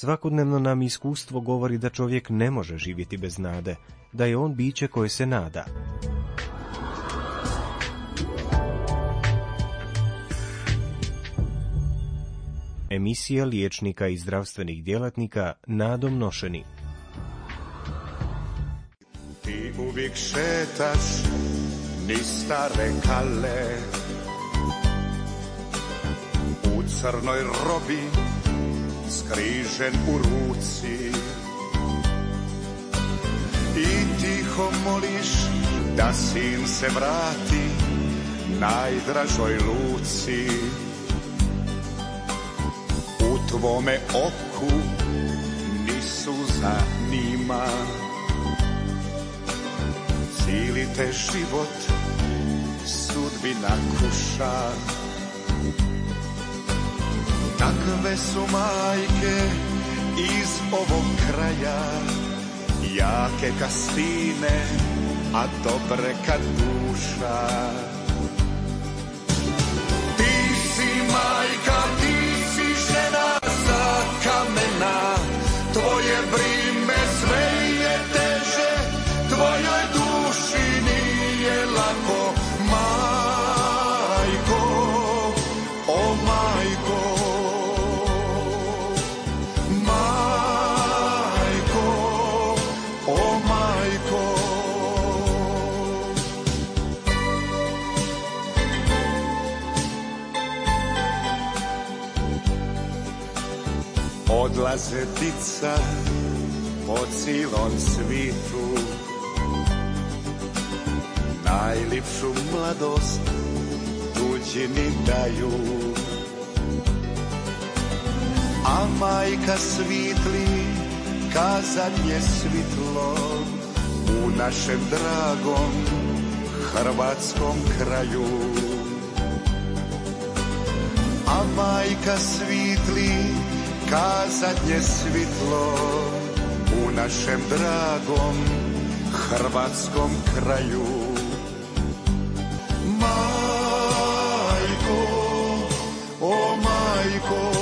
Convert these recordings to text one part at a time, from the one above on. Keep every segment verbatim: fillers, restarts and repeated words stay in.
Svakodnevno nam iskustvo govori da čovjek ne može živjeti bez nade, da je on biće koje se nada. Emisija liječnika i zdravstvenih djelatnika nadom nošeni. Ti uvijek šetaš niz stare kale, u crnoj robi skrižen u ruci, i tiho moliš da sin se vrati najdražoj luci. U tvome oku ni suza nima, cijeli te život sudbina kuša. Takve su majke iz ovog kraja, jake ka stine, a dobre ka duša. Ti si majka, ti si žena za kamena, tvoje brime sve je teže, tvojoj duši nije lako, majko, o majko. Odlaze dica po cijelom svitu, najljepšu mladost tuđini daju, a majka svitli ka zadnje svitlo u našem dragom hrvatskom kraju. A majka svitli ka zadnje svitlo u našem dragom hrvatskom kraju. Majko, o majko.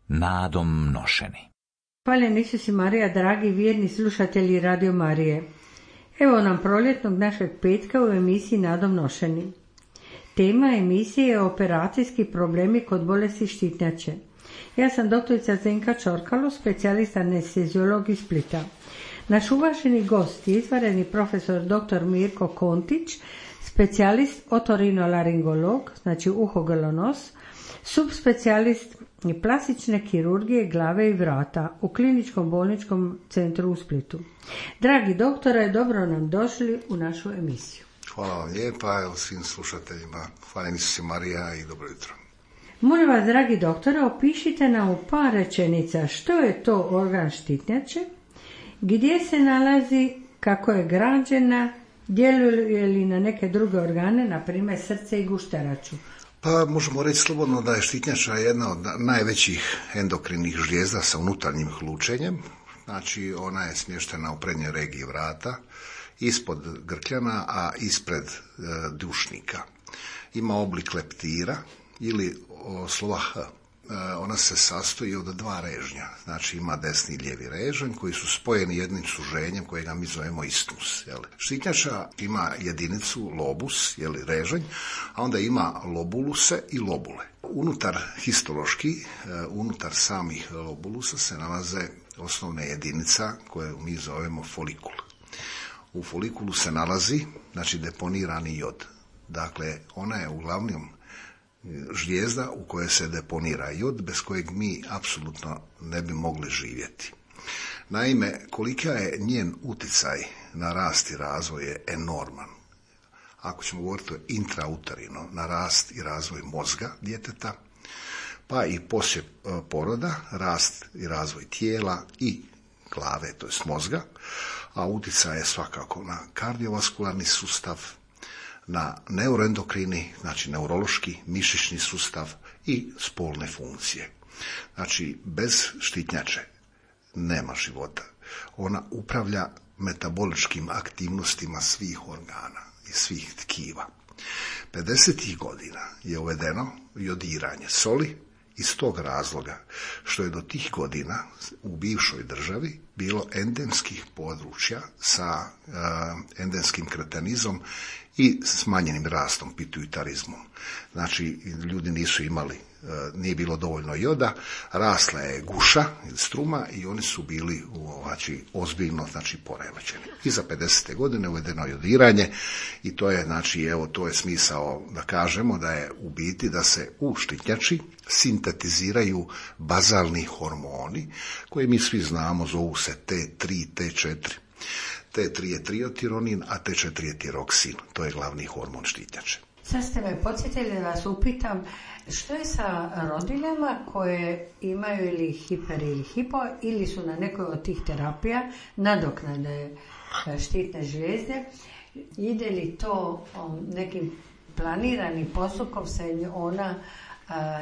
Nadom nošeni. Hvaljen Isus i Marija, dragi vjerni slušatelji Radio Marije. Evo nam proljetnog našeg petka u emisiji Nadom nošeni. Tema emisije je operacijski problemi kod bolesti štitnjače. Ja sam doktorica Zdenka Čorkalo, specijalista anesteziolog iz Splita. Naš uvaženi gost je izvanredni profesor doktor Mirko Kontić, specijalist otorinolaringolog, znači uho, grlo, nos, subspecijalist plastične kirurgije glave i vrata u kliničkom bolničkom centru u Splitu. Dragi doktore, dobro nam došli u našu emisiju. Hvala vam lijepa, evo svim slušateljima. Hvala Isus i Marija i dobro jutro. Molim vas, dragi doktore, opišite nam u par rečenica što je to organ štitnjače, gdje se nalazi, kako je građena, djeluje li na neke druge organe, na primjer srce i gušteraču. Pa možemo reći slobodno da je štitnjača jedna od najvećih endokrinih žlijezda sa unutarnjim hlučenjem. Znači ona je smještena u prednjoj regiji vrata, ispod grkljana, a ispred e, dušnika. Ima oblik leptira ili o, slova H. E, ona se sastoji od dva režnja. Znači ima desni i lijevi režanj koji su spojeni jednim suženjem kojega mi zovemo istus. Jel? Štitnjača ima jedinicu lobus, jel, režanj, a onda ima lobuluse i lobule. Unutar histološki, e, unutar samih lobulusa se nalaze osnovne jedinica koje mi zovemo folikul. U folikulu se nalazi, znači, deponirani jod. Dakle, ona je uglavnom žlijezda u kojoj se deponira jod, bez kojeg mi apsolutno ne bi mogli živjeti. Naime, kolika je njen utjecaj na rast i razvoj je enorman. Ako ćemo govoriti intrauterino, na rast i razvoj mozga djeteta, pa i poslije poroda, rast i razvoj tijela i glave, to jest mozga, a utjecaj je svakako na kardiovaskularni sustav, na neuroendokrini, znači neurološki, mišićni sustav i spolne funkcije. Znači, bez štitnjače nema života. Ona upravlja metaboličkim aktivnostima svih organa i svih tkiva. pedesetih godina je uvedeno jodiranje soli iz tog razloga što je do tih godina u bivšoj državi bilo endemskih područja sa uh, endemskim kretenizmom i smanjenim rastom, pituitarizmom. Znači, ljudi nisu imali, nije bilo dovoljno joda, rasla je guša, struma i oni su bili znači, ozbiljno znači, poremećeni. I za pedesete godine uvedeno jodiranje i to je, znači, evo, to je smisao da kažemo da je u biti da se u štitnjači sintetiziraju bazalni hormoni koje mi svi znamo, zovu se T tri, T četiri. T tri je triotironin, a T četiri je tiroksin. To je glavni hormon štitnjače. Sad ste me podsjetili da vas upitam, što je sa rodiljama koje imaju ili hiper ili hipo ili su na nekoj od tih terapija nadoknade štitne žlijezde, ide li to nekim planiranim postupkom se ona,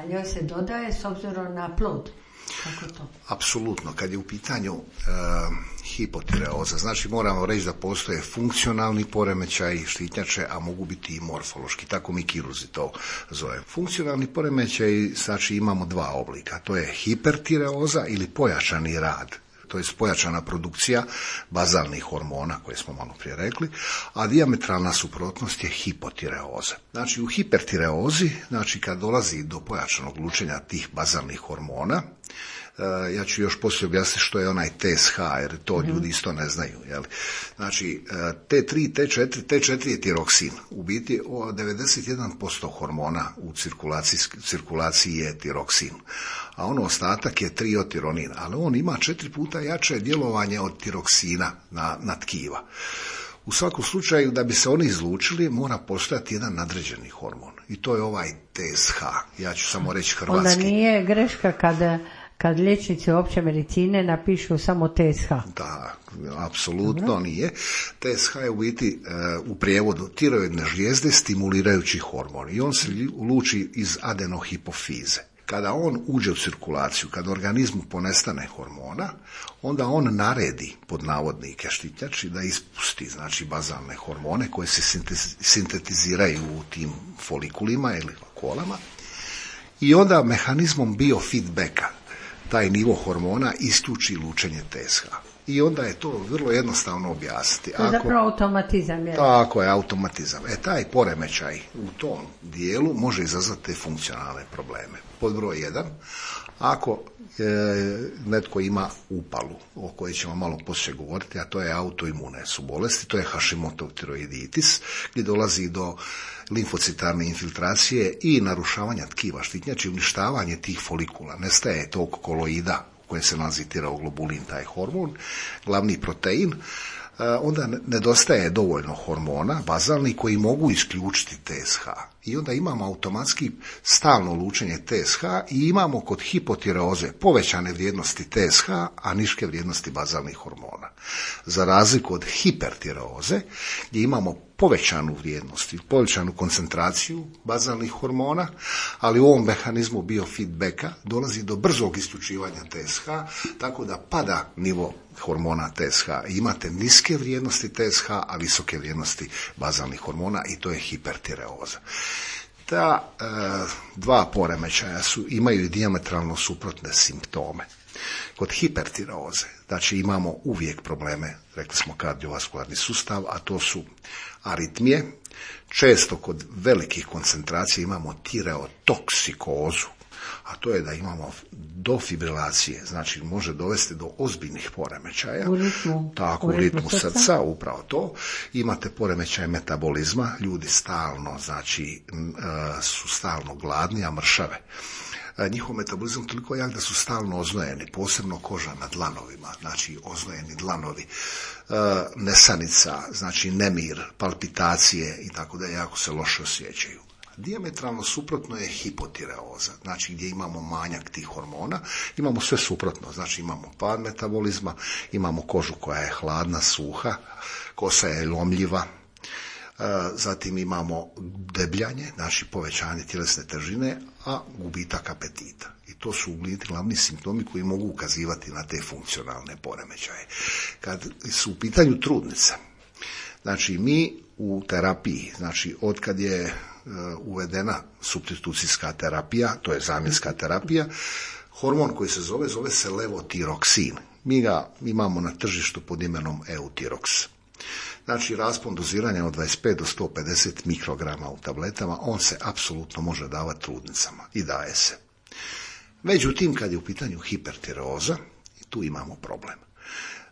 njoj se dodaje s obzirom na plod? Kako to? Apsolutno, kad je u pitanju uh, hipotireoza, znači moramo reći da postoje funkcionalni poremećaj štitnjače, a mogu biti i morfološki, tako mi kirurzi to zovemo. Funkcionalni poremećaj, znači imamo dva oblika, to je hipertireoza ili pojačani rad, to je pojačana produkcija bazalnih hormona koje smo malo prije rekli, a dijametralna suprotnost je hipotireoza. Znači u hipertireozi, znači kad dolazi do pojačanog lučenja tih bazalnih hormona, ja ću još poslije objasniti što je onaj T S H, jer to mm-hmm. ljudi isto ne znaju. Jel? Znači, T tri, T četiri, T četiri je tiroksin. U biti devedeset jedan posto hormona u cirkulaciji, cirkulaciji je tiroksin. A ono ostatak je triotironin, ali on ima četiri puta jače djelovanje od tiroksina na, na tkiva. U svakom slučaju, da bi se oni izlučili, mora postojati jedan nadređeni hormon. I to je ovaj T S H. Ja ću samo reći hrvatski. Onda nije greška kada... kad liječnici opće medicine napišu samo T S H. Da, apsolutno Dobro. Nije. T S H je u biti u prijevodu tiroidne žlijezde stimulirajući hormon i on se luči iz adenohipofize. Kada on uđe u cirkulaciju, kada organizmu ponestane hormona, onda on naredi, pod navodnike štitnjači, da ispusti znači bazalne hormone koje se sintetiziraju u tim folikulima ili kolama i onda mehanizmom biofeedbacka taj nivo hormona isključi lučenje T S H. I onda je to vrlo jednostavno objasniti. To je zapravo automatizam. Je. Tako je, automatizam. E, taj poremećaj u tom dijelu može izazvati te funkcionalne probleme. Pod broj jedan, ako e, netko ima upalu, o kojoj ćemo malo poslije govoriti, a to je autoimune su bolesti, to je Hashimotoov tiroiditis, gdje dolazi do limfocitarne infiltracije i narušavanja tkiva štitnjače, uništavanje tih folikula. Nestaje tog koloida u kojem se nalazi tiroglobulin, taj hormon, glavni protein, onda nedostaje dovoljno hormona bazalni koji mogu isključiti T S H. I onda imamo automatski stalno lučenje T S H i imamo kod hipotireoze povećane vrijednosti T S H, a niske vrijednosti bazalnih hormona. Za razliku od hipertireoze, gdje imamo povećanu vrijednost i povećanu koncentraciju bazalnih hormona, ali u ovom mehanizmu biofeedbacka dolazi do brzog isključivanja T S H, tako da pada nivo hormona T S H. Imate niske vrijednosti T S H, a visoke vrijednosti bazalnih hormona i to je hipertireoza. Ta e, dva poremećaja su, imaju i dijametralno suprotne simptome. Kod hipertireoze, znači imamo uvijek probleme, rekli smo kardiovaskularni sustav, a to su aritmije. Često kod velikih koncentracija imamo tireotoksikozu, a to je da imamo do fibrilacije, znači može dovesti do ozbiljnih poremećaja. U ritmu, tako, u ritmu, ritmu srca, srca, upravo to. Imate poremećaj metabolizma, ljudi stalno, znači, su stalno gladni, a mršave. Njihov metabolizam toliko jak da su stalno oznojeni, posebno koža na dlanovima, znači oznojeni dlanovi, nesanica, znači nemir, palpitacije i tako da jako se loše osjećaju. Dijametralno suprotno je hipotireoza, znači gdje imamo manjak tih hormona, imamo sve suprotno, znači imamo pad metabolizma, imamo kožu koja je hladna, suha, kosa je lomljiva, zatim imamo debljanje, znači povećanje tjelesne težine, a gubitak apetita. I to su glavni simptomi koji mogu ukazivati na te funkcionalne poremećaje. Kad su u pitanju trudnice, znači mi u terapiji, znači od kad je uh, uvedena supstitucijska terapija, to je zamjenska terapija, hormon koji se zove, zove se levotiroksin. Mi ga imamo na tržištu pod imenom Eutirox. Znači, raspon doziranja od dvadeset pet do sto pedeset mikrograma u tabletama, on se apsolutno može davati trudnicama i daje se. Međutim, kad je u pitanju hipertireoza, tu imamo problem.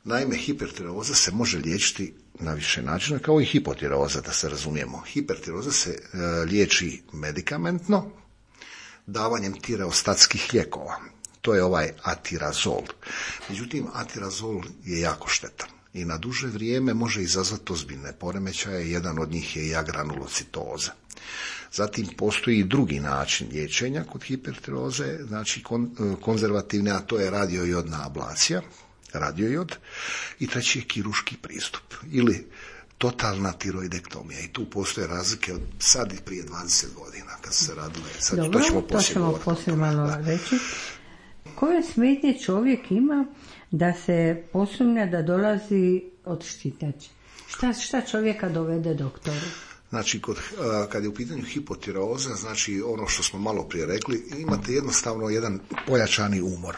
Naime, hipertireoza se može liječiti na više načina, kao i hipotireoza, da se razumijemo. Hipertireoza se e, liječi medikamentno, davanjem tireostatskih lijekova. To je ovaj atirazol. Međutim, atirazol je jako štetan i na duže vrijeme može izazvati ozbiljne poremećaje. Jedan od njih je i agranulocitoza. Zatim postoji i drugi način liječenja kod hipertireoze, znači kon, konzervativne, a to je radiojodna ablacija, radiojod, i treći je kirurški pristup ili totalna tiroidektomija. I tu postoje razlike od sad i prije dvadeset godina kad se radile. Sad, Dobro, to ćemo to poslije, ćemo poslije malo da. reći. Koje smetnje čovjek ima da se posumnja da dolazi od štitnjače? Šta, šta čovjeka dovede doktoru? Znači, kod, kad je u pitanju hipotireoza, znači ono što smo malo prije rekli, imate jednostavno jedan pojačani umor,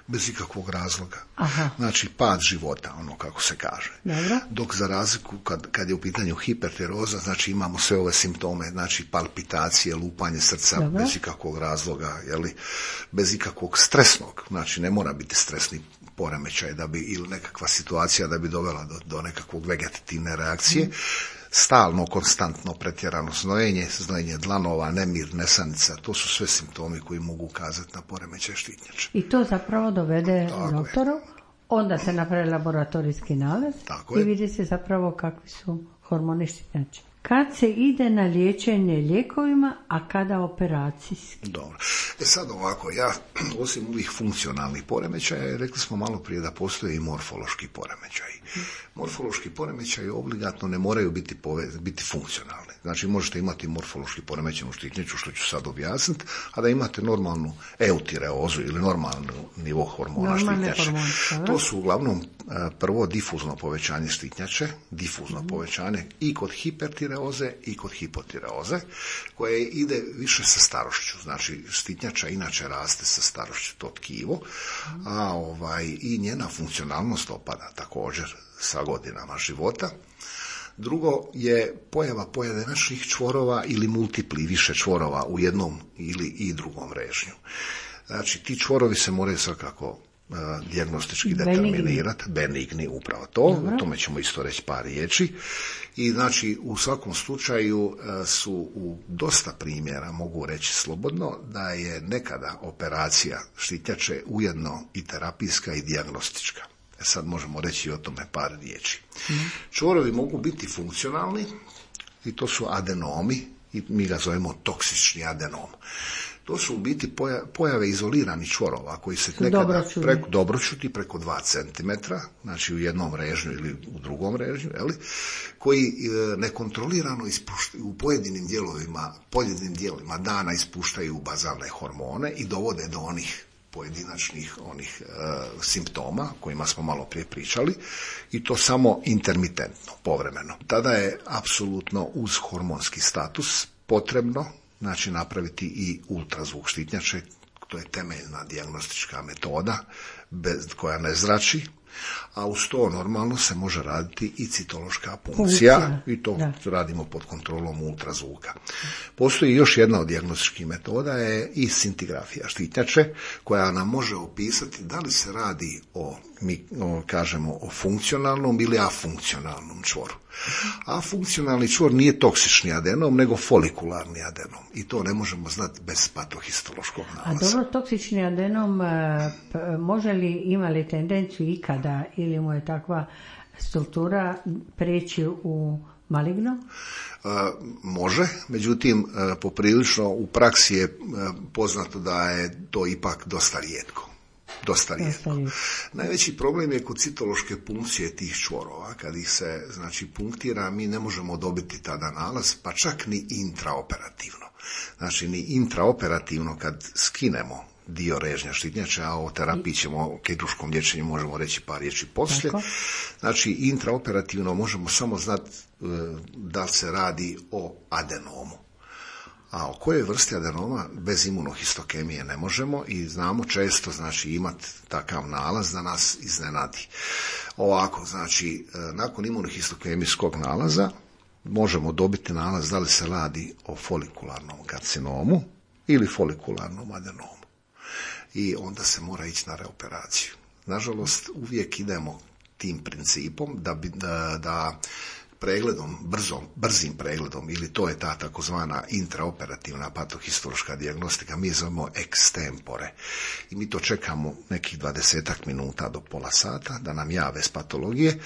bez ikakvog razloga. Aha. Znači, pad života, ono kako se kaže. Dobro. Dok za razliku, kad, kad je u pitanju hipertireoza, znači imamo sve ove simptome, znači palpitacije, lupanje srca, Dobro. bez ikakvog razloga, jeli, bez ikakvog stresnog, znači ne mora biti stresni poremećaj da bi, ili nekakva situacija da bi dovela do, do nekakvog vegetativne reakcije. Mm. Stalno, konstantno pretjerano znojenje, znojenje dlanova, nemir, nesanica, to su sve simptomi koji mogu ukazati na poremećaj štitnjače. I to zapravo dovede doktoru, onda se napravi laboratorijski nalaz Tako i je. vidi se zapravo kakvi su hormoni štitnjače. Kad se ide na liječenje lijekovima, a kada operacijski? Dobro. E sad ovako, ja osim ovih funkcionalnih poremećaja, rekli smo malo prije da postoje i morfološki poremećaji. Morfološki poremećaji obligatno ne moraju biti, pove, biti funkcionalni. Znači možete imati morfološki poremećenu štitnjaču, što ću sad objasniti, a da imate normalnu eutireozu ili normalnu nivo hormona štitnjače. To su uglavnom prvo difuzno povećanje štitnjače, difuzno mm. povećanje i kod hipertireoze i kod hipotireoze, koje ide više sa starošću. Znači štitnjača inače raste sa starošću, to tkivo, mm. a ovaj, i njena funkcionalnost opada također sa godinama života. Drugo je pojava pojedinačnih čvorova ili multipli, više čvorova u jednom ili i drugom režnju. Znači, ti čvorovi se moraju svakako uh, dijagnostički determinirati, benigni, upravo to, Dobro. o tome ćemo isto reći par riječi. I znači, u svakom slučaju uh, su u dosta primjera, mogu reći slobodno, da je nekada operacija štitnjače ujedno i terapijska i dijagnostička. Sad možemo reći o tome par riječi. Mm. Čvorovi mogu biti funkcionalni i to su adenomi i mi ga zovemo toksični adenom. To su u biti pojave izoliranih čvorova koji se nekada preko, dobročuti preko dva centimetra, znači u jednom režnju ili u drugom režnju, jeli, koji e, nekontrolirano ispuštaju u pojedinim dijelovima, pojedinim dijelovima dana ispuštaju bazalne hormone i dovode do onih pojedinačnih onih e, simptoma kojima smo malo prije pričali i to samo intermitentno, povremeno. Tada je apsolutno uz hormonski status potrebno znači napraviti i ultrazvuk štitnjače, to je temeljna dijagnostička metoda bez, koja ne zrači, a uz to normalno se može raditi i citološka punkcija, punkcija. i to da. radimo pod kontrolom ultrazvuka. Postoji još jedna od dijagnostičkih metoda je i scintigrafija štitnjače, koja nam može opisati da li se radi o, mi o, kažemo, o funkcionalnom ili afunkcionalnom čvoru. Afunkcionalni čvor nije toksični adenom, nego folikularni adenom. I to ne možemo znati bez patohistološkog nalaza. A dobro, toksični adenom može li, ima li tendenciju ikada ili mu je takva struktura preći u maligno? E, može, međutim, e, poprilično u praksi je e, poznato da je to ipak dosta rijetko. Dosta rijetko. Najveći problem je kod citološke punkcije tih čvorova. Kad ih se znači punktira, mi ne možemo dobiti tada nalaz, pa čak ni intraoperativno. Znači, ni intraoperativno kad skinemo dio režnja štitnjače, a o terapiji ćemo, o kirurškom liječenju možemo reći par riječi poslije. Tako. Znači, intraoperativno možemo samo znati e, da li se radi o adenomu. A o kojoj vrsti adenoma bez imunohistokemije ne možemo i znamo često, znači, imati takav nalaz da nas iznenadi. Ovako, znači, e, nakon imunohistokemijskog nalaza možemo dobiti nalaz da li se radi o folikularnom karcinomu ili folikularnom adenomu. I onda se mora ići na reoperaciju. Nažalost, uvijek idemo tim principom da, bi, da, da pregledom, brzom, brzim pregledom, ili to je ta takozvana intraoperativna patohistološka dijagnostika, mi zovemo extempore. I mi to čekamo nekih dvadesetak minuta do pola sata da nam jave s patologije.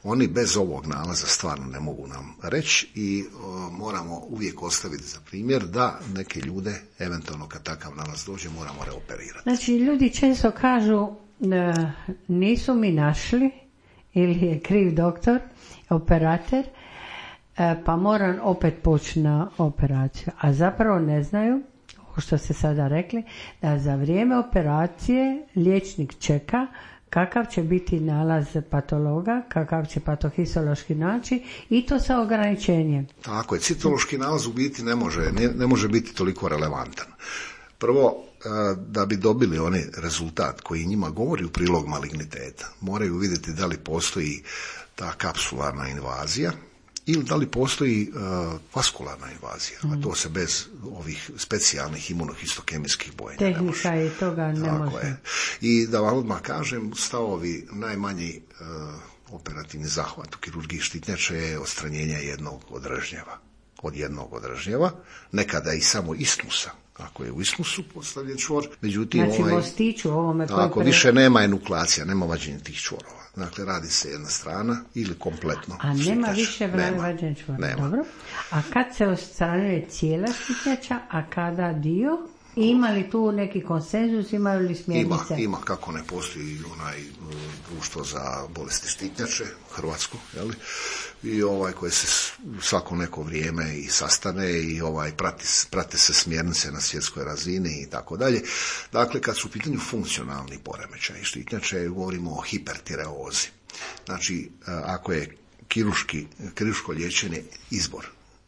Oni bez ovog nalaza stvarno ne mogu nam reći i o, moramo uvijek ostaviti za primjer da neke ljude, eventualno kad takav nalaz dođe, moramo reoperirati. Znači, ljudi često kažu da nisu mi našli ili je kriv doktor, operator, pa moram opet poći na operaciju. A zapravo ne znaju, ovo što ste sada rekli, da za vrijeme operacije liječnik čeka kakav će biti nalaz patologa, kakav će patohistološki naći i to sa ograničenjem. Tako je, citološki nalaz u biti ne može, ne, ne može biti toliko relevantan. Prvo, da bi dobili onaj rezultat koji njima govori u prilog maligniteta, moraju vidjeti da li postoji ta kapsularna invazija ili da li postoji uh, vaskularna invazija, mm. a to se bez ovih specijalnih imunohistokemijskih bojenja tehnika ne može. I toga ne Tako može. Je. I da vam odmah kažem, stavovi najmanji uh, operativni zahvat u kirurgiji štitnjače je odstranjenje jednog od režnjeva. Od jednog od režnjeva, nekada i samo ismusa. Ako je u ismusu postavljen čvor, međutim, znači, ovaj, mostiću ovome ako pre... više nema enukleacija, nema vađenja tih čvorova. Dakle, radi se jedna strana ili kompletno. A nema štitnjača. više vađenja čvora. Dobro. A kad se odstranjuje cijela štitnjača, a kada dio? Ima li tu neki konsenzus, imaju li smjernice? Ima, ima, kako ne postoji onaj društvo za bolesti štitnjače, Hrvatsko, jeli? I ovaj koji se svako neko vrijeme i sastane i ovaj prati, prate se smjernice na svjetskoj razini i tako dalje. Dakle, kad su u pitanju funkcionalni poremećaji štitnjače, govorimo o hipertireozi. Znači, ako je kirurški, kirurško liječenje izbor,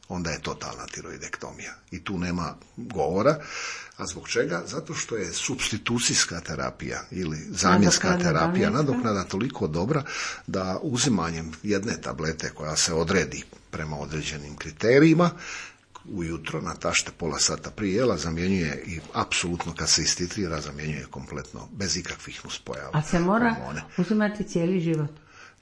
onda je totalna tiroidektomija. I tu nema govora. A zbog čega? Zato što je supstitucijska terapija ili zamjenska nadoknada, terapija, nadoknada toliko dobra da uzimanjem jedne tablete koja se odredi prema određenim kriterijima, ujutro natašte pola sata prije jela zamjenjuje i apsolutno kad se istitrira zamjenjuje kompletno bez ikakvih nuspojava. A se mora hormone. Uzimati cijeli život?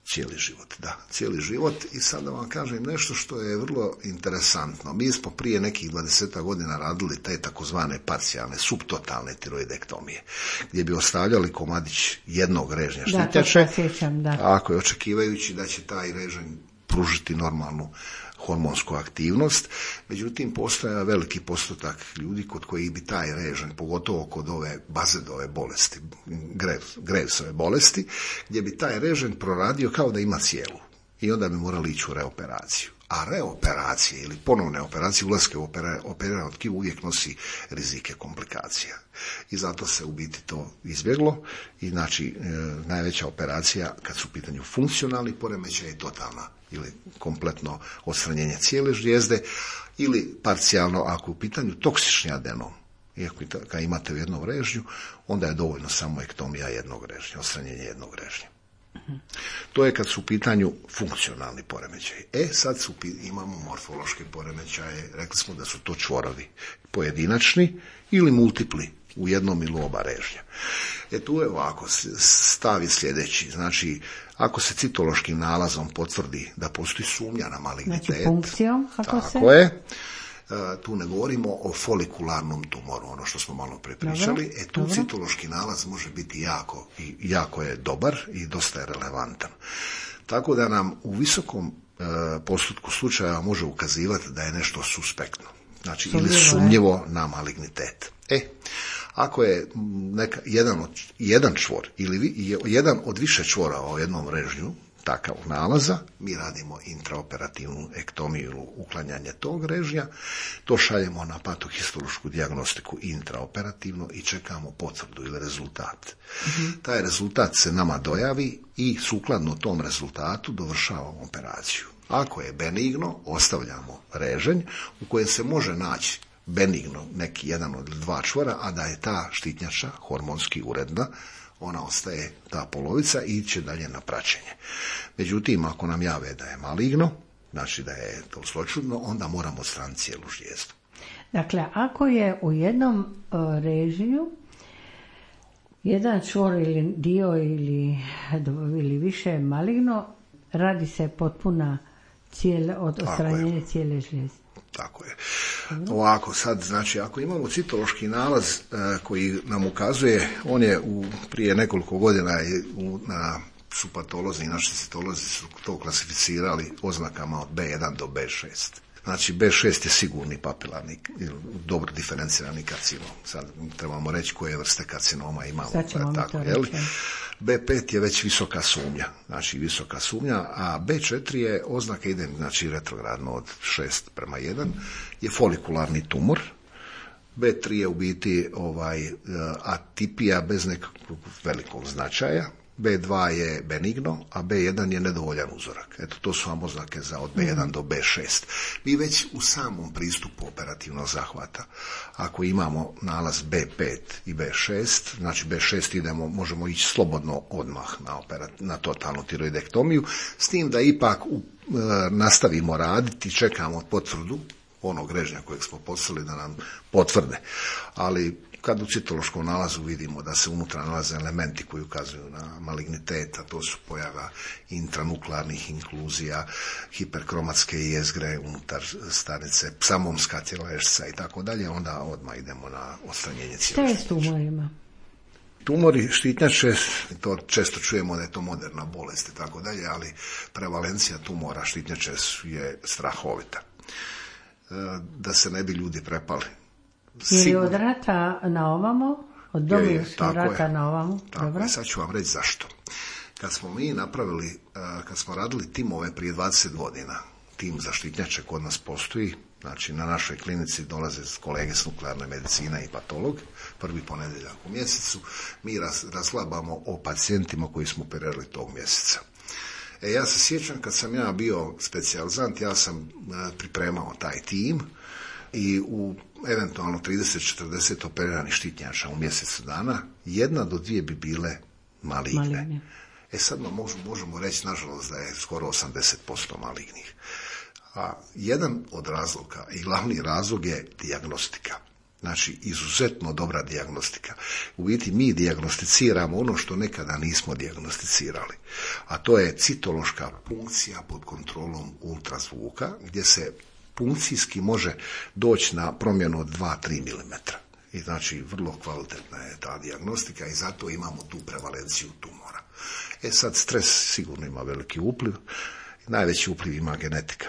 Cijeli život, da, cijeli život. I sad da vam kažem nešto što je vrlo interesantno. Mi smo prije nekih dvadeset godina radili te takozvane parcijalne, subtotalne tiroidektomije, gdje bi ostavljali komadić jednog režnja štitnjače, da, to se sjećam, da. Ako je očekivajući da će taj režanj pružiti normalnu hormonsku aktivnost, međutim postoja veliki postotak ljudi kod kojih bi taj režanj, pogotovo kod ove bazedove bolesti, Gravesove bolesti, gdje bi taj režanj proradio kao da ima cijelu i onda bi morali ići u reoperaciju. A reoperacije ili ponovne operacije, ulaske u operirano tkivo uvijek nosi rizike komplikacija. I zato se u biti to izbjeglo i znači e, najveća operacija kad su u pitanju funkcionalni poremećaj je totalna ili kompletno odstranjenje cijele žlijezde ili parcijalno ako je u pitanju toksični adenom. Iako kad imate u jednom režnju, onda je dovoljno samo ektomija jednog režnja, odstranjenje jednog režnja. To je kad su u pitanju funkcionalni poremećaji. E, sad su, imamo morfološke poremećaje, rekli smo da su to čvorovi pojedinačni ili multipli u jednom ili oba režnja. E tu je ovako, stav je sljedeći, znači ako se citološkim nalazom potvrdi da postoji sumnja na malignitet, znači punkcijom, ako tako se... je, tu ne govorimo o folikularnom tumoru, ono što smo malo prepričali, e tu dobro. Citološki nalaz može biti jako, i jako je dobar i dosta je relevantan. Tako da nam u visokom e, postotku slučaja može ukazivati da je nešto suspektno, znači sumnjivo, ili sumnjivo na malignitet. E, ako je neka, jedan, od, jedan čvor ili vi, jedan od više čvora u jednom režnju takav nalaza, mi radimo intraoperativnu ektomiju ili uklanjanje tog režnja, to šaljemo na patohistološku dijagnostiku intraoperativno i čekamo potvrdu ili rezultat. Mm-hmm. Taj rezultat se nama dojavi i sukladno tom rezultatu dovršavamo operaciju. Ako je benigno, ostavljamo reženj u kojem se može naći benigno neki jedan od dva čvora, a da je ta štitnjača hormonski uredna, ona ostaje ta polovica i iće dalje na praćenje. Međutim, ako nam jave da je maligno, znači da je to zloćudno, onda moramo odstraniti cijelu žlijezdu. Dakle, ako je u jednom uh, režiju jedan čvor ili dio ili, ili više maligno, radi se potpuna cijele, od odstranjenja cijele žlijezde. Tako je. Ovako, sad, znači, ako imamo citološki nalaz e, koji nam ukazuje, on je u, prije nekoliko godina je u, na su patolozi i naši citolozi su to klasificirali oznakama od B jedan do B šest. Znači, B šest je sigurni papilarni, dobro diferencirani karcinom. Sad trebamo reći koje vrste karcinoma imamo. Tako, jel? B pet je već visoka sumnja, znači visoka sumnja, a B četiri je oznaka ide, znači retrogradno od šest prema jedan, je folikularni tumor. B tri je u biti ovaj, atipija bez nekakvog velikog značaja. B dva je benigno, a B jedan je nedovoljan uzorak. Eto, to su vam oznake za od B jedan do B šest. Mi već u samom pristupu operativnog zahvata, ako imamo nalaz B pet i B šest, znači B šest idemo, možemo ići slobodno odmah na, operat, na totalnu tiroidektomiju, s tim da ipak u, e, nastavimo raditi, čekamo potvrdu onog režnja kojeg smo poslali da nam potvrde. Ali kad u citološkom nalazu vidimo da se unutra nalaze elementi koji ukazuju na malignitet, a to su pojava intranuklearnih inkluzija, hiperkromatske jezgre unutar stanice, psamomska tjelešca i tako dalje, onda odmah idemo na odstranjenje cijele štitnjače. Šta je s tumorima? Tumori štitnjače, to često čujemo da je to moderna bolest i tako dalje, ali prevalencija tumora štitnjače je strahovita. Da se ne bi ljudi prepali. Jer je od rata na ovamo, od Domovinskog rata na ovamo. Tako Dobro. Je, sad ću vam reći zašto. Kad smo mi napravili, kad smo radili timove prije dvadeset godina, tim za štitnjače kod nas postoji, znači na našoj klinici dolaze kolege s nuklearne medicine i patolog, prvi ponedjeljak u mjesecu, mi raz, razglabamo o pacijentima koji smo operirali tog mjeseca. E, ja se sjećam kad sam ja bio specijalizant, ja sam pripremao taj tim i u eventualno trideset do četrdeset operiranih štitnjača u mjesecu dana, jedna do dvije bi bile maligne. Maligne. E sad možemo, možemo reći, nažalost, da je skoro osamdeset posto malignih. A jedan od razloga i glavni razlog je dijagnostika. Znači, izuzetno dobra dijagnostika. U biti mi dijagnosticiramo ono što nekada nismo dijagnosticirali. A to je citološka punkcija pod kontrolom ultrazvuka, gdje se punkcijski može doći na promjenu od dva do tri milimetra. I znači, vrlo kvalitetna je ta dijagnostika i zato imamo tu prevalenciju tumora. E sad, stres sigurno ima veliki upliv. Najveći upliv ima genetika.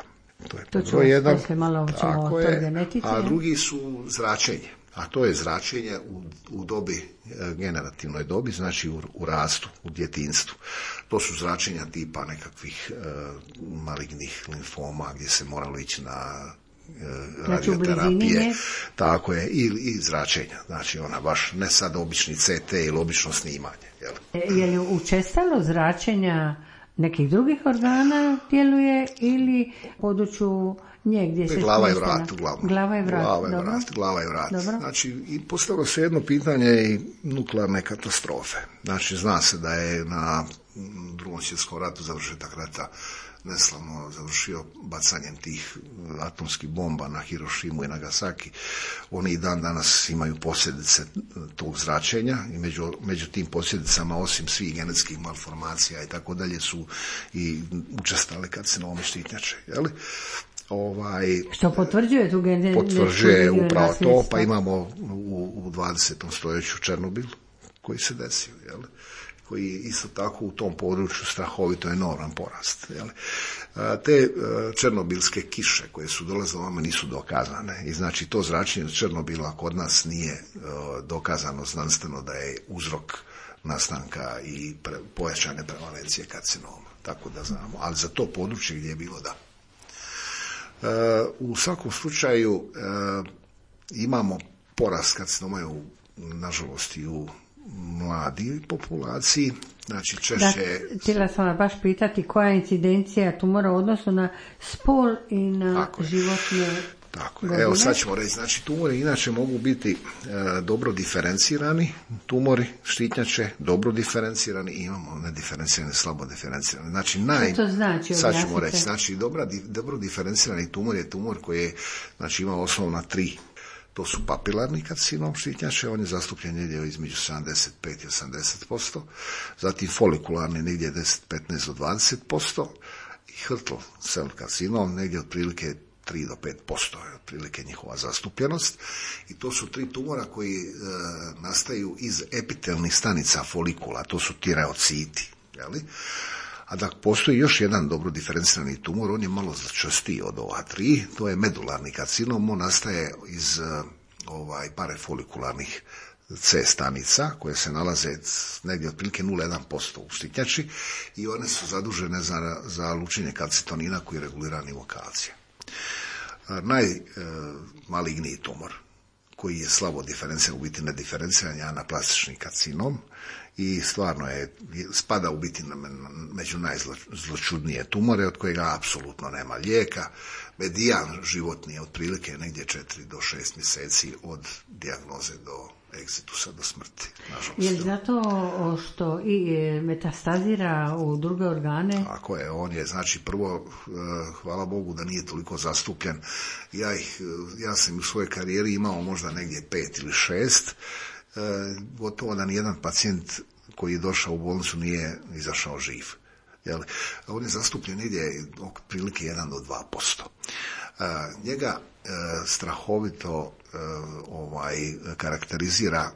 To je to jedan, malo tako je, genetice, a drugi su zračenje. A to je zračenje u, u dobi, generativnoj dobi, znači u, u rastu, u djetinjstvu. To su zračenja tipa nekakvih e, malignih limfoma gdje se moralo ići na e, radioterapije. Tako je, i, i zračenja. Znači ona baš ne sad obični C T ili obično snimanje. Jel? Je li učestalo zračenja nekih drugih organa djeluje ili području nje gdje se glava i vrat uglavnom. Glava i vrat, glava i dobro. vrat, glava i vrat. Dobro. Znači, i postavilo se jedno pitanje i nuklearne katastrofe. Znači, zna se da je na Drugom svjetskom ratu završetak rata neslavno završio bacanjem tih atomskih bomba na Hirošimu i Nagasaki. Oni i dan danas imaju posljedice tog zračenja i među, među tim posljedicama, osim svih genetskih malformacija i tako dalje, su i učestale karcinomi štitnjače. Jeli? Ovaj, što potvrđuje tu genetiku? Potvrđuje upravo to, pa imamo u, u dvadesetom stoljeću Černobil koji se desio, jel? Koji isto tako u tom području strahovito enorman porast. Jel? Te černobilske kiše koje su dolazile vama nisu dokazane i znači to zračenje od Černobila kod nas nije dokazano znanstveno da je uzrok nastanka i pre, pojačane prevalencije karcinoma. tako da znamo, ali za to područje gdje je bilo da. E, u svakom slučaju e, imamo porast karcinoma u, nažalost, i u mladoj populaciji, znači češće... Da, htjela sam vas baš pitati koja je incidencija tumora u odnosu na spol i na tako životne Tako, godine. evo sad ćemo reći, znači tumori inače mogu biti e, dobro diferencirani, tumori štitnjače, dobro diferencirani i imamo nediferencirani, slabo diferencirani. Znači, naj, što to znači? sad ćemo reći, znači dobra, dobro diferencirani tumor je tumor koji je, znači, ima osnovna tri. To su papilarni karcinom štitnjače, on je zastupljen negdje između sedamdeset pet i osamdeset posto, zatim folikularni negdje deset do petnaest do dvadeset posto i Hürtl cell karcinom negdje otprilike tri do pet posto je otprilike njihova zastupljenost. I to su tri tumora koji e, nastaju iz epitelnih stanica folikula, to su tireociti. Jeli? A da postoji još jedan dobro diferencirani tumor, on je malo zločestiji od ova tri, to je medularni karcinom, on nastaje iz e, ovaj, parafolikularnih C stanica koje se nalaze negdje otprilike nula zarez jedan posto u štitnjači i one su zadužene za, za lučenje kalcitonina koji regulira nivo kalcija. Najmaligniji tumor koji je slabo diferenciran, u biti nediferenciran, je anaplastični karcinom i stvarno je, spada u biti među najzločudnije tumore od kojega apsolutno nema lijeka. Medijan životni je otprilike negdje četiri do šest mjeseci od dijagnoze do egzitusa, do smrti, nažalost. Je li zato što i metastazira u druge organe? Tako je, on je, znači, prvo, hvala Bogu da nije toliko zastupljen. Ja, ih, ja sam u svojoj karijeri imao možda negdje pet ili šest, gotovo da nijedan pacijent koji je došao u bolnicu nije izašao živ. Jel? On je zastupljen negdje otprilike jedan do dva posto. Njega strahovito ovaj karakterizira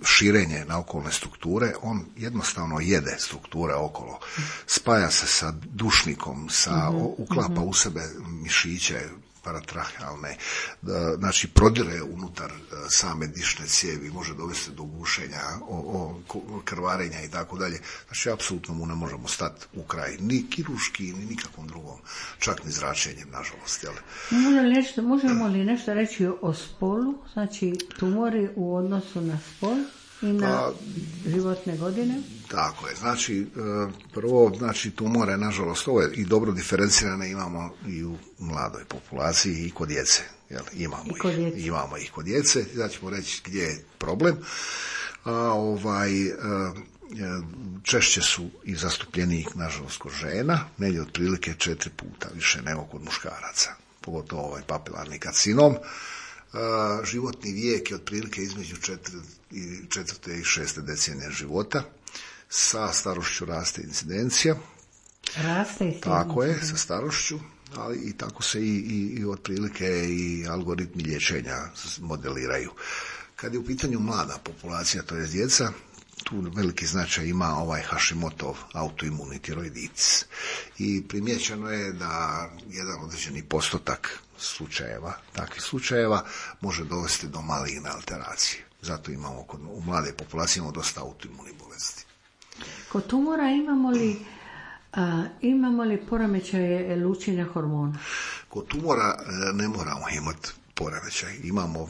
širenje na okolne strukture, on jednostavno jede strukture okolo, spaja se sa dušnikom, sa, uklapa u sebe mišiće paratrahealne, znači prodire unutar same dišne cijevi, može dovesti do gušenja, o, o, krvarenja i tako dalje. Znači, apsolutno mu ne možemo stati u kraj, ni kirurški, ni nikakvom drugom, čak ni zračenjem, nažalost. Jel? Možemo li nešto, možemo li nešto reći o spolu, znači tumori u odnosu na spol i na pa, životne godine? Tako je, znači prvo, znači tumore, nažalost, ovo je i dobro diferencirane imamo i u mladoj populaciji i kod djece, jel? Imamo, I kod ih, imamo ih kod djece, da ćemo reći gdje je problem. A, ovaj, a, češće su i zastupljeniji, nažalost, kod žena, negdje otprilike četiri puta više nego kod muškaraca, pogotovo ovaj papilarni karcinom. Uh, životni vijek je otprilike između četvrte i šeste decenije života. Sa starošću raste incidencija. Raste incidencija. Tako je, sa starošću, ali i tako se i, i, i otprilike i algoritmi liječenja modeliraju. Kad je u pitanju mlada populacija, to je djeca, tu veliki značaj ima ovaj Hashimotov autoimuni tiroiditis. I primjećeno je da jedan određeni postotak slučajeva, takvih slučajeva, može dovesti do maligne alteracije. Zato imamo kod, u mlade populacije imamo dosta autoimunih bolesti. Kod tumora imamo li, a, imamo li poremećaje lučenja hormona? Kod tumora ne moramo imati poremećaj. Imamo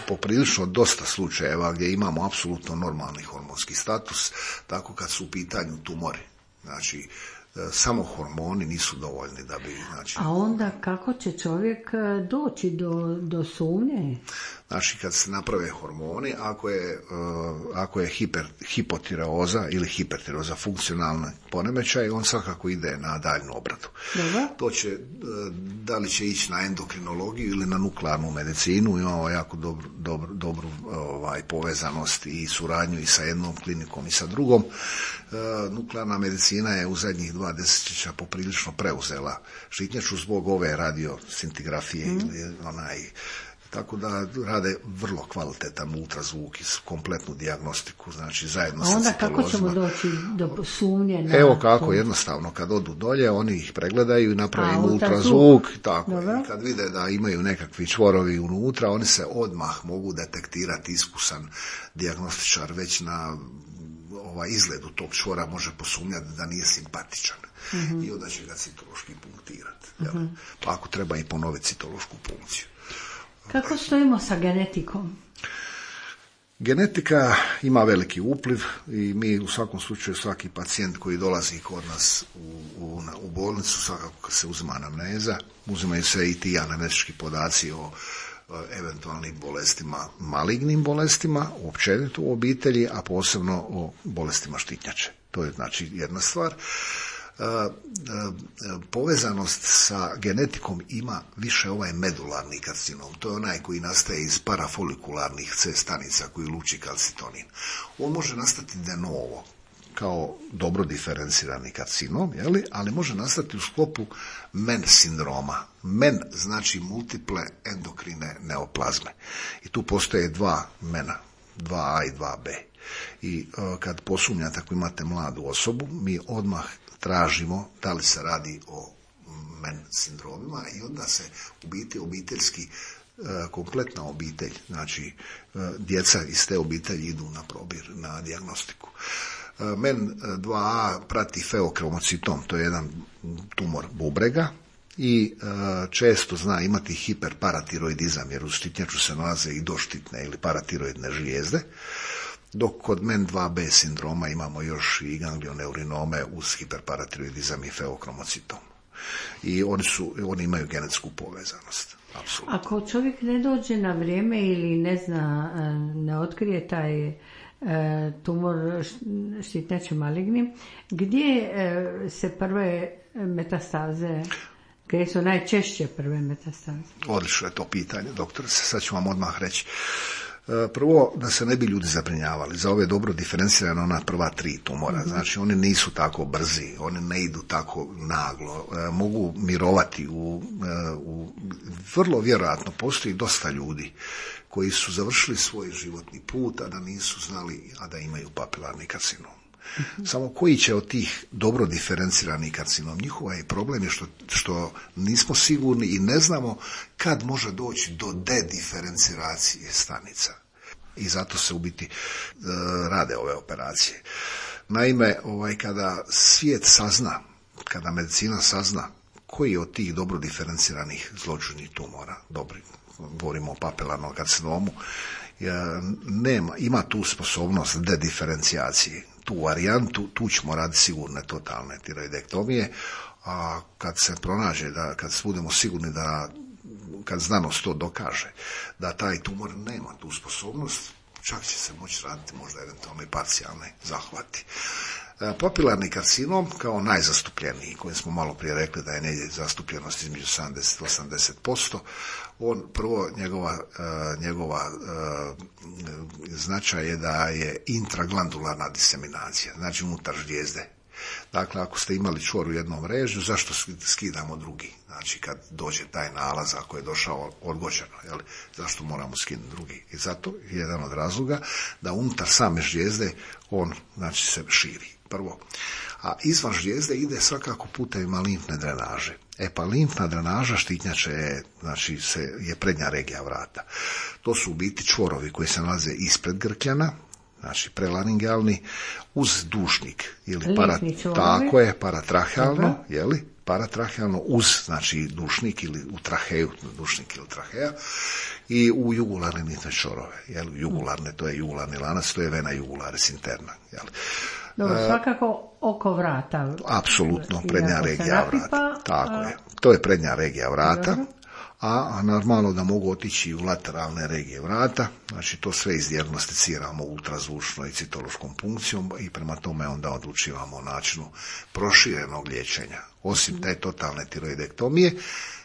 poprilično dosta slučajeva gdje imamo apsolutno normalni hormonski status, tako kad su u pitanju tumori. Znači, samo hormoni nisu dovoljni da bi... Znači, a onda kako će čovjek doći do, do sumnje? Znači, kad se naprave hormoni, ako je, uh, ako je hiper, hipotireoza ili hipertireoza funkcionalna poremećaj, on svakako ide na daljnu obradu. Dobro. To će, uh, da li će ići na endokrinologiju ili na nuklearnu medicinu, imamo jako dobru, dobru, dobru ovaj, povezanost i suradnju i sa jednom klinikom i sa drugom. Uh, nuklearna medicina je u zadnjih dva desetljeća poprilično preuzela štitnjaču zbog ove radioscintigrafije mm. ili onaj... Tako da rade vrlo kvalitetan ultrazvuk i kompletnu dijagnostiku, znači zajedno sa citolozima. A onda kako ćemo doći do sumnje? Na Evo kako, jednostavno, kad odu dolje, oni ih pregledaju i naprave im ultrazvuk. Tako, i kad vide da imaju nekakvi čvorovi unutra, oni se odmah mogu detektirati, iskusan dijagnostičar već na ovaj, izgledu tog čvora može posumnjati da nije simpatičan. Mm-hmm. I onda će ga citološki punktirati. Mm-hmm. Pa ako treba i ponoviti citološku punkciju. Kako stojimo sa genetikom? Genetika ima veliki upliv i mi u svakom slučaju svaki pacijent koji dolazi kod nas u, u, u bolnicu, svakako se uzima anamneza, uzimaju se i ti anamnetički podaci o, o eventualnim bolestima, malignim bolestima, općenito u obitelji, a posebno o bolestima štitnjače. To je znači jedna stvar. Povezanost sa genetikom ima više ovaj medularni karcinom. To je onaj koji nastaje iz parafolikularnih C stanica koji luči kalcitonin. On može nastati de novo kao dobro diferencirani karcinom, jeli? Ali može nastati u sklopu M E N sindroma. M E N znači multiple endokrine neoplazme. I tu postoje dva M E N-a, dva A i dva B. I uh, kad posumnjate ako imate mladu osobu, mi odmah tražimo da li se radi o M E N sindromima i onda se u biti obiteljski, kompletna obitelj, znači djeca iz te obitelji idu na probir, na dijagnostiku. M E N dva A prati feokromocitom, to je jedan tumor bubrega i često zna imati hiperparatiroidizam, jer u štitnjaču se nalaze i doštitne ili paratiroidne žlijezde. Dok kod M E N dva B sindroma imamo još i ganglioneurinome uz hiperparatiroidizam i feokromocitom. I oni, su, oni imaju genetsku povezanost. Apsolutno. Ako čovjek ne dođe na vrijeme ili ne zna, ne otkrije taj e, tumor štitnjače maligni, gdje e, se prve metastaze, gdje su najčešće prve metastaze? Odlično je to pitanje, doktor. Sad ću vam odmah reći. Prvo, da se ne bi ljudi zabrinjavali, za ove dobro diferencirane ona prva tri tumora, mm-hmm. znači oni nisu tako brzi, oni ne idu tako naglo, e, mogu mirovati, u, e, u, vrlo vjerojatno postoji dosta ljudi koji su završili svoj životni put, a da nisu znali, a da imaju papilarni karcinom. Mm-hmm. Samo koji će od tih dobro diferenciranih karcinom, njihova je problem je što, što nismo sigurni i ne znamo kad može doći do dediferenciracije stanica. I zato se u biti e, rade ove operacije. Naime, ovaj, kada svijet sazna, kada medicina sazna koji od tih dobro diferenciranih zloćudnih tumora, dobri, govorimo o papilarnom karcinomu, e, nema, ima tu sposobnost dediferencijacije. Tu varijantu, tu ćemo raditi sigurne totalne tiroidektomije, a kad se pronađe, da, kad budemo sigurni da, kad znanost to dokaže, da taj tumor nema tu sposobnost, čak će se moći raditi možda eventualno i parcijalne zahvati. Papilarni karcinom kao najzastupljeniji, koji smo malo prije rekli da je negdje zastupljenost između sedamdeset do osamdeset posto, on prvo njegova, njegova značaj je da je intraglandularna diseminacija, znači unutar žlijezde. Dakle, ako ste imali čvor u jednom režju, zašto skidamo drugi? Znači, kad dođe taj nalaz, ako je došao odgođeno, jel, zašto moramo skinuti drugi? I zato je jedan od razloga da unutar same žlijezde on, znači, se širi. Prvo. A izvan žlijezde ide svakako putevima limfne drenaže. E pa limfna drenaža štitnjače je, znači, se, je prednja regija vrata. To su u biti čvorovi koji se nalaze ispred grkljana, znači prelaringealni, uz dušnik ili para, tako je, paratrahealno, jeli, paratrahealno uz, znači, dušnik ili u traheju, dušnik ili traheja, i u jugularne limfne čvorove, jeli, jugularne, to je jugularni lanac, to je vena jugularis interna, jeli. Dobro, svakako oko vrata. Apsolutno, prednja regija vrata. Tako je. To je prednja regija vrata, a normalno da mogu otići u lateralne regije vrata, znači to sve izdijagnosticiramo ultrazvučno i citološkom punkcijom i prema tome onda odlučivamo o načinu proširenog liječenja. Osim te totalne tiroidektomije,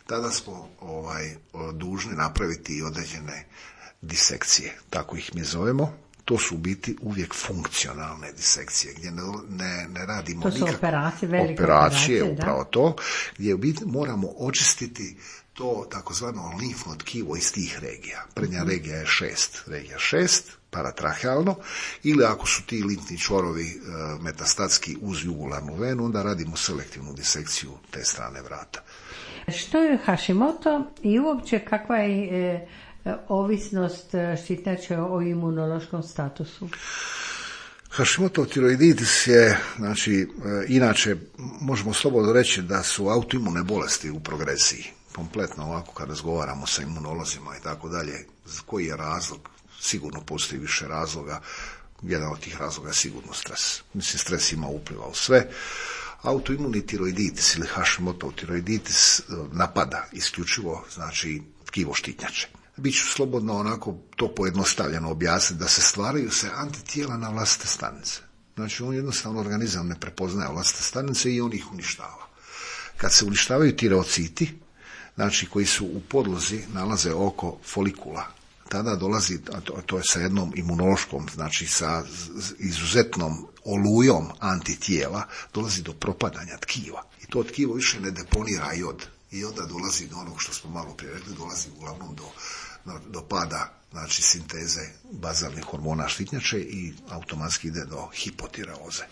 tada smo ovaj, dužni napraviti i određene disekcije, tako ih mi zovemo. To su u biti uvijek funkcionalne disekcije, gdje ne, ne, ne radimo to su nikakve operacije, velike operacije, operacije, upravo da? To, gdje u biti moramo očistiti to takozvano limfno tkivo iz tih regija. Prednja mm-hmm. regija je šest, regija šest, paratrahealno, ili ako su ti limfni čvorovi e, metastatski uz jugularnu venu, onda radimo selektivnu disekciju te strane vrata. Što je Hashimoto i uopće kakva je e, ovisnost štitnjače o imunološkom statusu? Hashimoto tiroiditis je, znači, inače, možemo slobodno reći da su autoimune bolesti u progresiji. Kompletno ovako kad razgovaramo sa imunolozima i tako dalje, koji je razlog? Sigurno postoji više razloga. Jedan od tih razloga je sigurno stres. Mislim, stres ima upliva u sve. Autoimuni tiroiditis ili Hashimoto tiroiditis napada isključivo, znači, tkivo štitnjače. Biću slobodno onako to pojednostavljeno objasniti da se stvaraju se antitijela na vlastite stanice. Znači, on jednostavno organizam ne prepoznaje vlastite stanice i on ih uništava. Kad se uništavaju tireociti, znači koji su u podlozi nalaze oko folikula, tada dolazi, a to, a to je sa jednom imunološkom, znači sa izuzetnom olujom antitijela, dolazi do propadanja tkiva. I to tkivo više ne deponira jod. I onda dolazi do onog što smo malo prije rekli, dolazi uglavnom do, do pada, znači sinteze bazalnih hormona štitnjače i automatski ide do hipotireoze.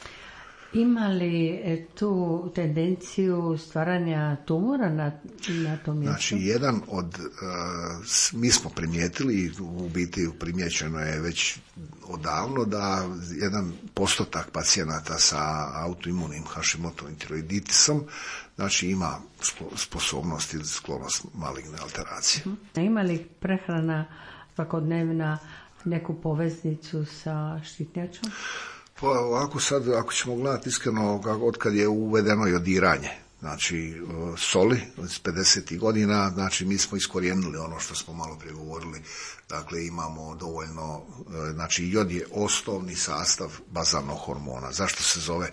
Ima li tu tendenciju stvaranja tumora na, na tom mjestu? Znači, jedan od, uh, mi smo primijetili, u biti primijećeno je već odavno da jedan postotak pacijenata sa autoimunim Hashimotovim tiroiditisom, znači ima sposobnost ili sklonost maligne alteracije. Ima li prehrana svakodnevna neku poveznicu sa štitnjačom? Pa ovako sad, ako ćemo gledati iskreno, od kad je uvedeno jodiranje, znači soli iz pedesetih godina, znači mi smo iskorijenili ono što smo malo prije govorili, dakle imamo dovoljno, znači jod je osnovni sastav bazalnog hormona. Zašto se zove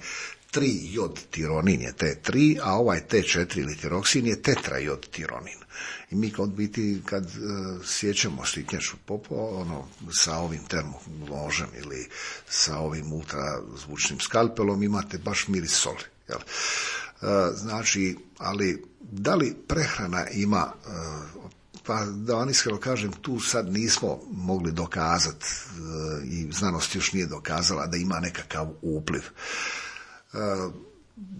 tri jod tironin je T tri, a ovaj T četiri ili tiroksin je tetra jod tironin. I mi kad biti, kad uh, sjećamo štitnjaču popo, ono, sa ovim termonožem ili sa ovim ultrazvučnim skalpelom imate baš miris soli. Jel? Uh, znači, ali da li prehrana ima, uh, pa da vam iskreno kažem, tu sad nismo mogli dokazati uh, i znanost još nije dokazala da ima nekakav upliv. Uh,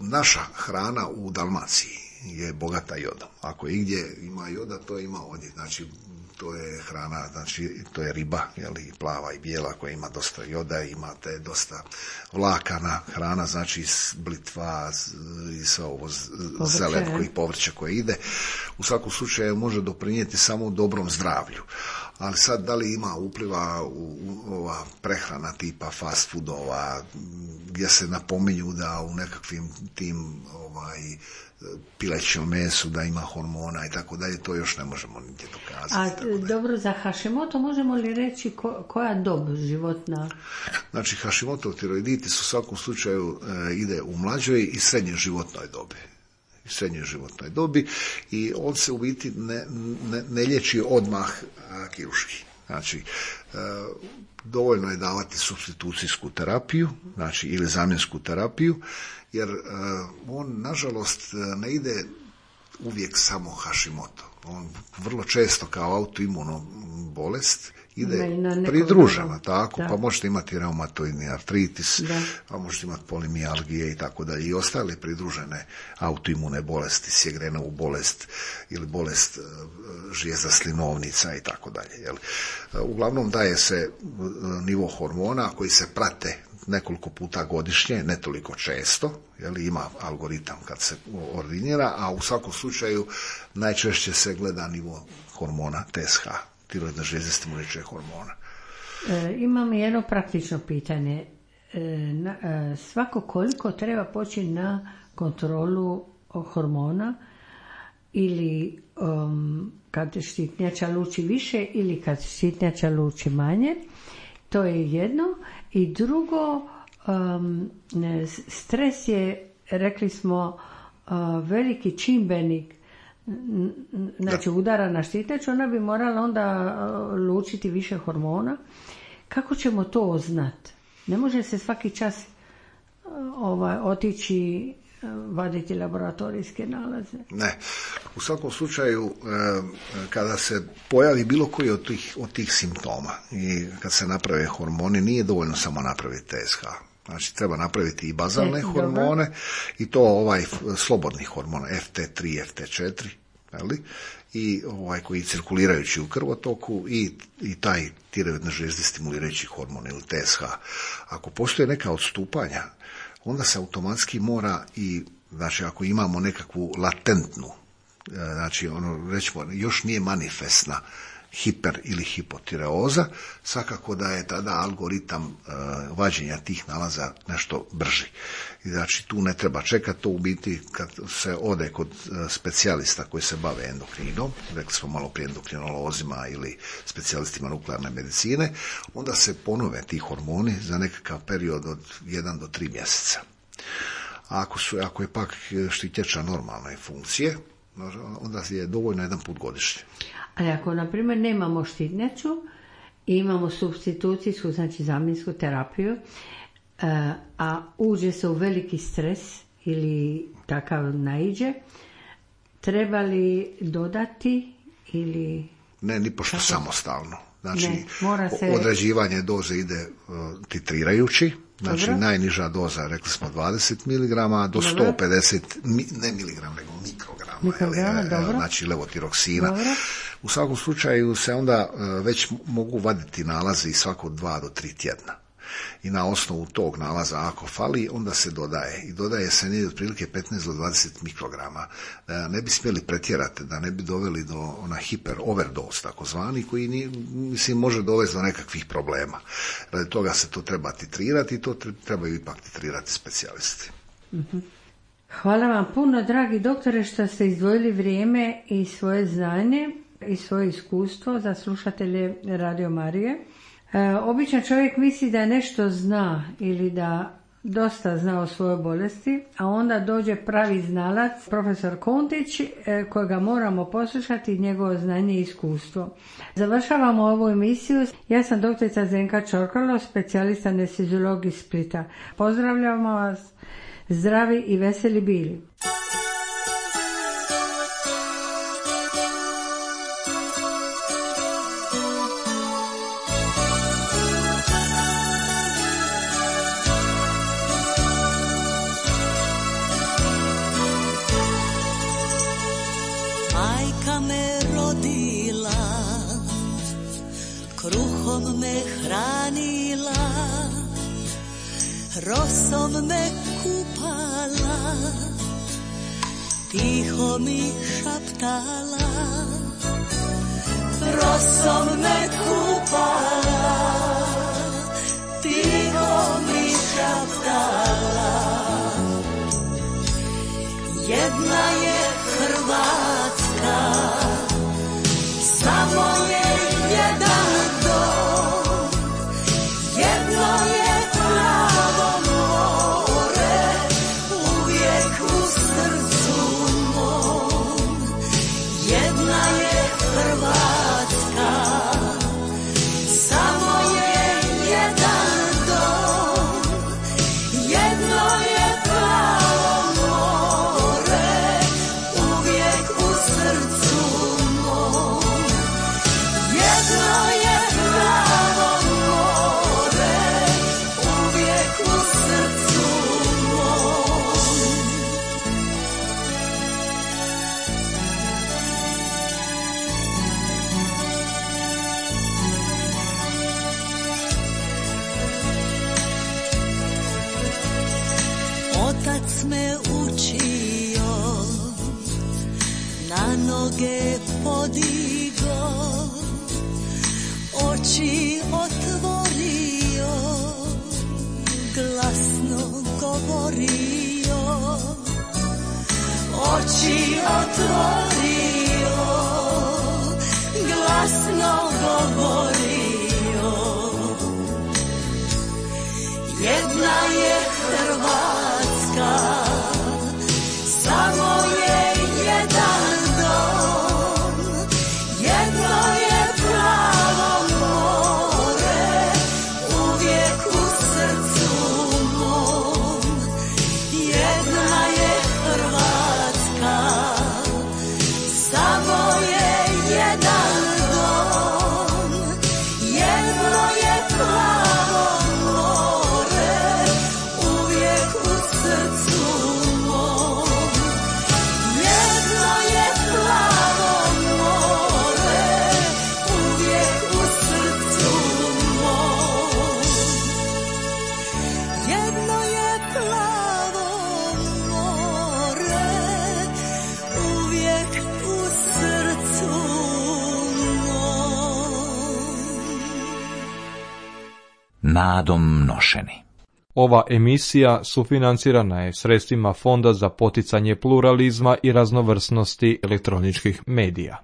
naša hrana u Dalmaciji je bogata jodom. Ako igdje ima joda, to ima ovdje. Znači, to je hrana, znači, to je riba, jeli, plava i bijela koja ima dosta joda, imate dosta vlakana, hrana, znači blitva i sve ovo zelenko i povrće koje ide. U svakom slučaju može doprinijeti samo u dobrom zdravlju. Ali sad, da li ima upliva u, u ova prehrana tipa fast foodova, gdje se napominju da u nekakvim tim ovaj, pilećem mesu da ima hormona i tako dalje, to još ne možemo nigdje dokazati. A dobro, za Hashimoto možemo li reći ko, koja dob životna? Znači, Hashimoto tiroiditis u svakom slučaju e, ide u mlađoj i srednjoj životnoj dobi. srednjoj životnoj dobi i on se u biti ne, ne, ne liječi odmah a, kirurški. Znači, e, dovoljno je davati supstitucijsku terapiju, znači ili zamjensku terapiju, jer e, on nažalost ne ide uvijek samo Hashimoto. On vrlo često kao autoimuno bolest ide pridružena, tako, da. Pa možete imati reumatoidni artritis, da. Pa možete imati polimijalgije i tako dalje, i ostale pridružene autoimune bolesti, Sjegrenovu bolest ili bolest žijezda slinovnica i tako dalje. Uglavnom daje se nivo hormona koji se prate nekoliko puta godišnje, ne toliko često, jel, ima algoritam kad se ordinira, a u svakom slučaju najčešće se gleda nivo hormona T S H, tiroidna žlijezda stimulirajućeg hormona. E, imam jedno praktično pitanje. E, na, e, svako koliko treba poći na kontrolu hormona ili um, kad štitnjača luči više ili kad štitnjača luči manje? To je jedno. I drugo, um, stres je, rekli smo, uh, veliki čimbenik, znači udara na štitnjaču, ona bi morala onda uh, lučiti više hormona. Kako ćemo to znati? Ne može se svaki čas uh, ovaj, otići vaditi laboratorijske nalaze? Ne. U svakom slučaju, kada se pojavi bilo koji od tih, od tih simptoma i kad se naprave hormoni, nije dovoljno samo napraviti T S H. Znači, treba napraviti i bazalne e, hormone dobro. I to ovaj slobodni hormon F T tri, F T četiri, jeli? I ovaj koji cirkulirajući u krvotoku i, i taj tiroidne žlijezde stimulirajući hormon ili T S H. Ako postoje neka odstupanja, onda se automatski mora i, znači ako imamo nekakvu latentnu, znači ono rećemo još nije manifestna hiper ili hipotireoza, svakako da je tada algoritam uh, vađenja tih nalaza nešto brži. I znači tu ne treba čekati, to u biti kad se ode kod uh, specijalista koji se bave endokrinom, rekli smo malo prije endokrinolozima ili specijalistima nuklearne medicine, onda se ponove ti hormoni za nekakav period od jedan do tri mjeseca. A ako, su, ako je pak štitjača normalne funkcije, onda je dovoljno jedan put godišnje. Ali ako, na primjer, nemamo štitnjaču i imamo supstitucijsku, znači zamjensku terapiju, a uđe se u veliki stres ili takav naiđe, treba li dodati ili... Ne, ni pošto samostalno. Znači, ne, mora se... određivanje doze ide uh, titrirajući. Znači, dobro. Najniža doza, rekli smo dvadeset miligrama do dobro. sto pedeset, ne miligrama, nego mikrograma. Mikrograma, ali, dobro. Znači, levotiroksina. Dobro. U svakom slučaju se onda uh, već mogu vaditi nalazi svako dva do tri tjedna. I na osnovu tog nalaza, ako fali, onda se dodaje. I dodaje se negdje otprilike petnaest do dvadeset mikrograma. Da ne bi smjeli pretjerati, da ne bi doveli do ona hiper overdose, takozvani, koji ni, mislim, može dovesti do nekakvih problema. Radi toga se to treba titrirati i to trebaju ipak titrirati specijalisti. Mm-hmm. Hvala vam puno, dragi doktore, što ste izdvojili vrijeme i svoje znanje i svoje iskustvo za slušatelje Radio Marije. E, običan čovjek misli da nešto zna ili da dosta zna o svojoj bolesti, a onda dođe pravi znalac, profesor Kontić, e, kojega moramo poslušati, njegovo znanje i iskustvo. Završavamo ovu emisiju. Ja sam doktorica Zdenka Čorkalo, specijalista anesteziolog iz Splita. Pozdravljamo vas, zdravi i veseli bili. Kruhom me hranila, rosom me kupala, tiho mi šaptala. Rosom me kupala, tiho mi šaptala. Jedna je Hrvatska, samo je jedan dom, jedno je pravo more, uvijek u srcu mom. Jedna je Hrvatska, samo je jedan dom, jedno je pravo more, uvijek u srcu mom. Jedno je pravo more, uvijek u srcu mom. Otac me učio, na noge podigo, oči otvorio, glasno govorio. Oči otvorio, glasno govorio. Jedna je Hrvatska, samo je jedan dom, jedno je pravo more, uvijek u srcu mom. Jedna je Hrvatska, Nadom nošeni. Ova emisija sufinancirana je sredstvima Fonda za poticanje pluralizma i raznovrsnosti elektroničkih medija.